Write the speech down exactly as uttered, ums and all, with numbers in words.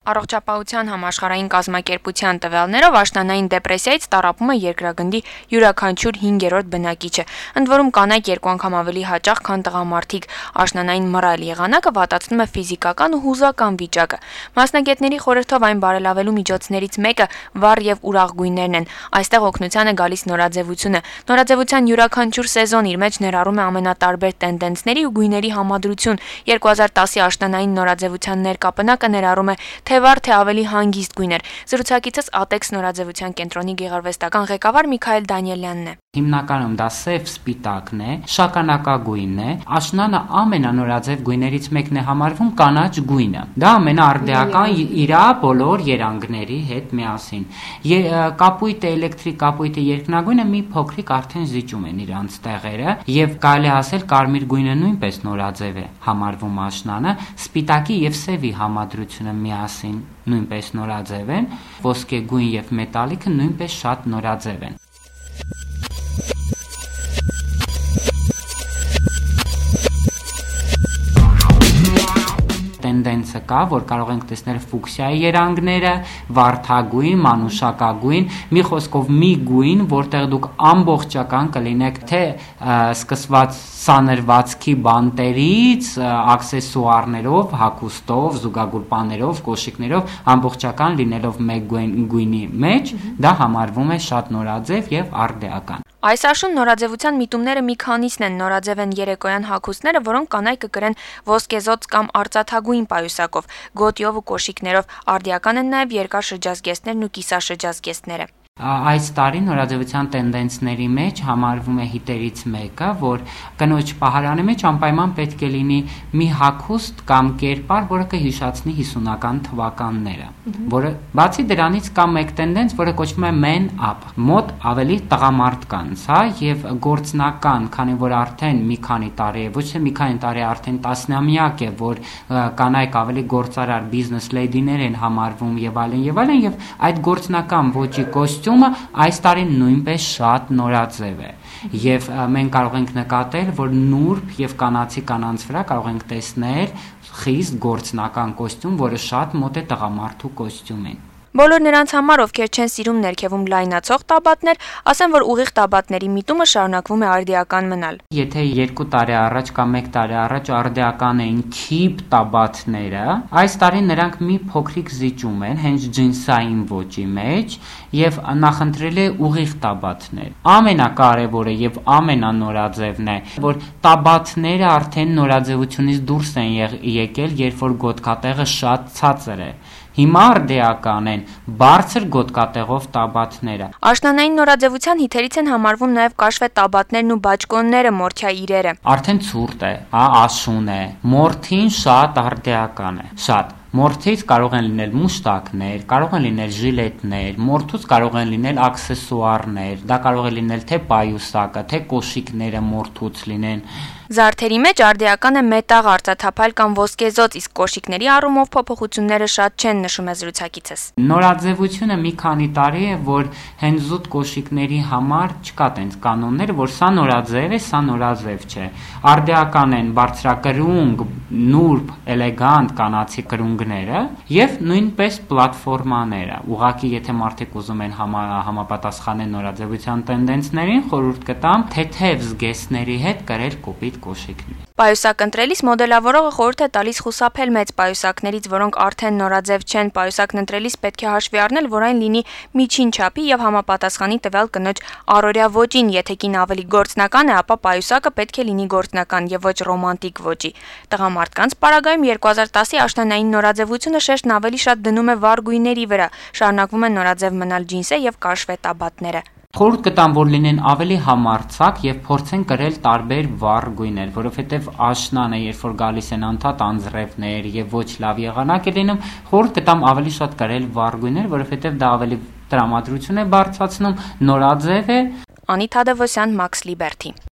Առողջապահության համաշխարհային կազմակերպության տվյալներով աշնանային դեպրեսիայից տառապում է երկրագնդի յուրաքանչյուր հինգերորդ բնակիչը, ընդ որում կանայք երկու անգամ ավելի հաճախ, քան տղամարդիկ։ Աշնանային մռայլ եղանակը վատացնում է ֆիզիկական ու հուզական վիճակը։ Մասնագետների խորհրդով այն բարելավելու միջոցներից մեկը վառ եւ ուրախ գույներն են։ Այստեղ օգնության է գալիս նորաձևությունը։ Նորաձևության յուրաքանչյուր սեզոն իր մեջ ներառում է ամենատարբեր տենդենսների ու գույների համադրություն։ երկու հազար տասի աշնանային նորաձևության ներկապնակը ներառում է թե վառ թե ավելի հանգիստ գույներ։ Զրուցակիցս Ատեքս նորաձևության կենտրոնի գեղարվեստական ղեկավար Միքայել Դանիելյանն է։ Հիմնականում դա սև սպիտակն է, շագանակագույնն է, աշնանը ամենանորաձև գույներից մեկն է համարվում կանաչ գույնը։ Դա ամենաարդեական իրա բոլոր երանգների հետ միասին։ Կապույտը, էլեկտրիկ կապույտը, երկնագույնը մի փոքրիկ արդեն զիջում են իրանց տեղերը, եւ կարելի ասել կարմիր գույնը նույնպես նորաձև է համարվում աշնանը, սպիտակի եւ սևի համադրությունը միասին նույնպես նորաձև են, ոսկեգույն եւ մետալիկը նույնպես շատ նորաձև են։ Տենդենսը կա, որ կարող ենք տեսնել ֆուկսիայի երանգները, վարդագույն, մանուշակագույն, մի խոսքով մի գույն, որտեղ դուք ամբողջական կլինեք թե սկսված սանրվածքի բանտերից, աքսեսուարներով, հագուստով, զուգագուլպաներով, կոշիկներով, ամբողջական լինելով մեկ գույնի մեջ, դա համարվում է շատ նորաձև եւ արդեական։ Այս աշուն նորաձևության միտումները մի քանիսն են։ Նորաձև են երեկոյան հագուստները, որոնք կանայք կկրեն ոսկեզոծ կամ արծաթագույն պայուսակով, գոտիով ու կոշիկներով։ Արդիական են նաև երկար շրջազգեստներն ու կիսաշրջազգեստները։ Այս տարի նորաձևության տենդենսների մեջ համարվում է հիտերից մեկը, որ կնոջ պահարանի մեջ անպայման պետք է լինի մի հագուստ կամ կերպար, որը կհիշացնի հիսունական թվականները, որը բացի դրանից կա մեկ տենդենս, որը կոչվում է man up, մոտ ավելի տղամարդկանց, հա, եւ գործնական, քանի որ արդեն մի քանի տարի է, ոչ թե մի քանի տարի, արդեն տասնամյակ է, որ կանայք ավելի գործարար բիզնես լեյդիներ են համարվում եւ այլն եւ այլն, եւ այդ գործնական ոճի կոստյումը այս տարի նույնպես շատ նորաձև է եւ մենք կարող ենք նկատել, որ նուրբ եւ կանացի կանանց վրա կարող ենք տեսնել խիստ գործնական կոստյում, որը շատ մոտ է տղամարդու կոստյումին։ Բոլոր նրանց համար, ովքեր չեն սիրում ներքևում լայնացող տաբատներ, ասեն, որ ուղիղ տաբատների միտումը շարունակվում է արդիական մնալ։ Եթե երկու տարի առաջ կամ մեկ տարի առաջ արդիական էին քիփ տաբատները, այս տարի նրանք մի փոքրիկ զիջում են հենց ջինսային ոճի մեջ եւ նախընտրել է ուղիղ տաբատներ։ Ամենակարևորը եւ ամենանորաձևն է, որ տաբատները արդեն նորաձևությունից դուրս են եկել, երբ որ գոտկատեղը շատ ցածր է։ Հիմա արդեական են բարձր գոտկատեղով տաբատները։ Աշնանային նորաձևության հիթերից են համարվում նաև կաշվե տաբատներն ու բաճկոնները, մորթյա իրերը։ Արդեն ցուրտ է, հա, աշուն է։ Մորթին շատ արդեական է, շատ։ Մորթից կարող են լինել մուշտակներ, կարող են լինել ժիլետներ, մորթուց կարող են լինել աքսեսուարներ, դա կարող է լինել թե պայուսակը, թե կոշիկները մորթուց լինեն։ Զարդերի մեջ արդիական է մետաղ, արծաթափայլ կամ ոսկեզոծ, իսկ կոշիկների առումով փոփոխությունները շատ չեն, նշում է զրուցակիցս։ Նորաձևությունը մի քանի տարի է, որ հենց զուտ կոշիկների համար չկա տենց կանոններ, որ սա նորաձև է, սա նորաձև չէ։ Արդիական են բարձրակրունկ, նուրբ, էլեգանտ կանացի կրունկները եւ նույնպես պլատֆորմաները։ Ուղղակի եթե մարդիկ ուզում են համա, համապատասխանել նորաձևության տենդենսներին, խորհուրդ կտամ թեթև զգեստների հետ կրել կոպիտ կոշիկներ։ Պայուսակ ընտրելիս մոդելավորողը խորհուրդ է տալիս խուսափել մեծ պայուսակներից, որոնք արդեն նորաձև չեն։ Պայուսակն ընտրելիս պետք է հաշվի առնել, որ այն լինի միջին չափի եւ համապատասխանի տվյալ կնոջ առօրյա ոճին։ Եթե կին ավելի գործնական է, ապա պայուսակը պետք է լինի գործնական եւ ոչ ռոմանտիկ ոճի։ Տղամարդկանց պարագայում երկու հազար տասի աշնանային նորաձևությունը շեշտն ավելի շատ դնում է վառ գույների վրա։ Շարունակվում է նորաձև մնալ ջինսը եւ կաշվե տաբատները։ Խորհուրդ կտամ, որ լինեն ավելի համարձակ եւ փորձեն կրել տարբեր վառ գույներ, որովհետեւ աշնանը, երբ որ գալիս են անդադ անձրևներ եւ ոչ լավ եղանակ է լինում, խորհուրդ կտամ ավելի շատ կրել վառ գույներ, որովհետեւ դա ավելի տրամադրություն է բարձրացնում, նորաձև է։ Անիթ Ադևոսյան, Մաքս Լիբերթի։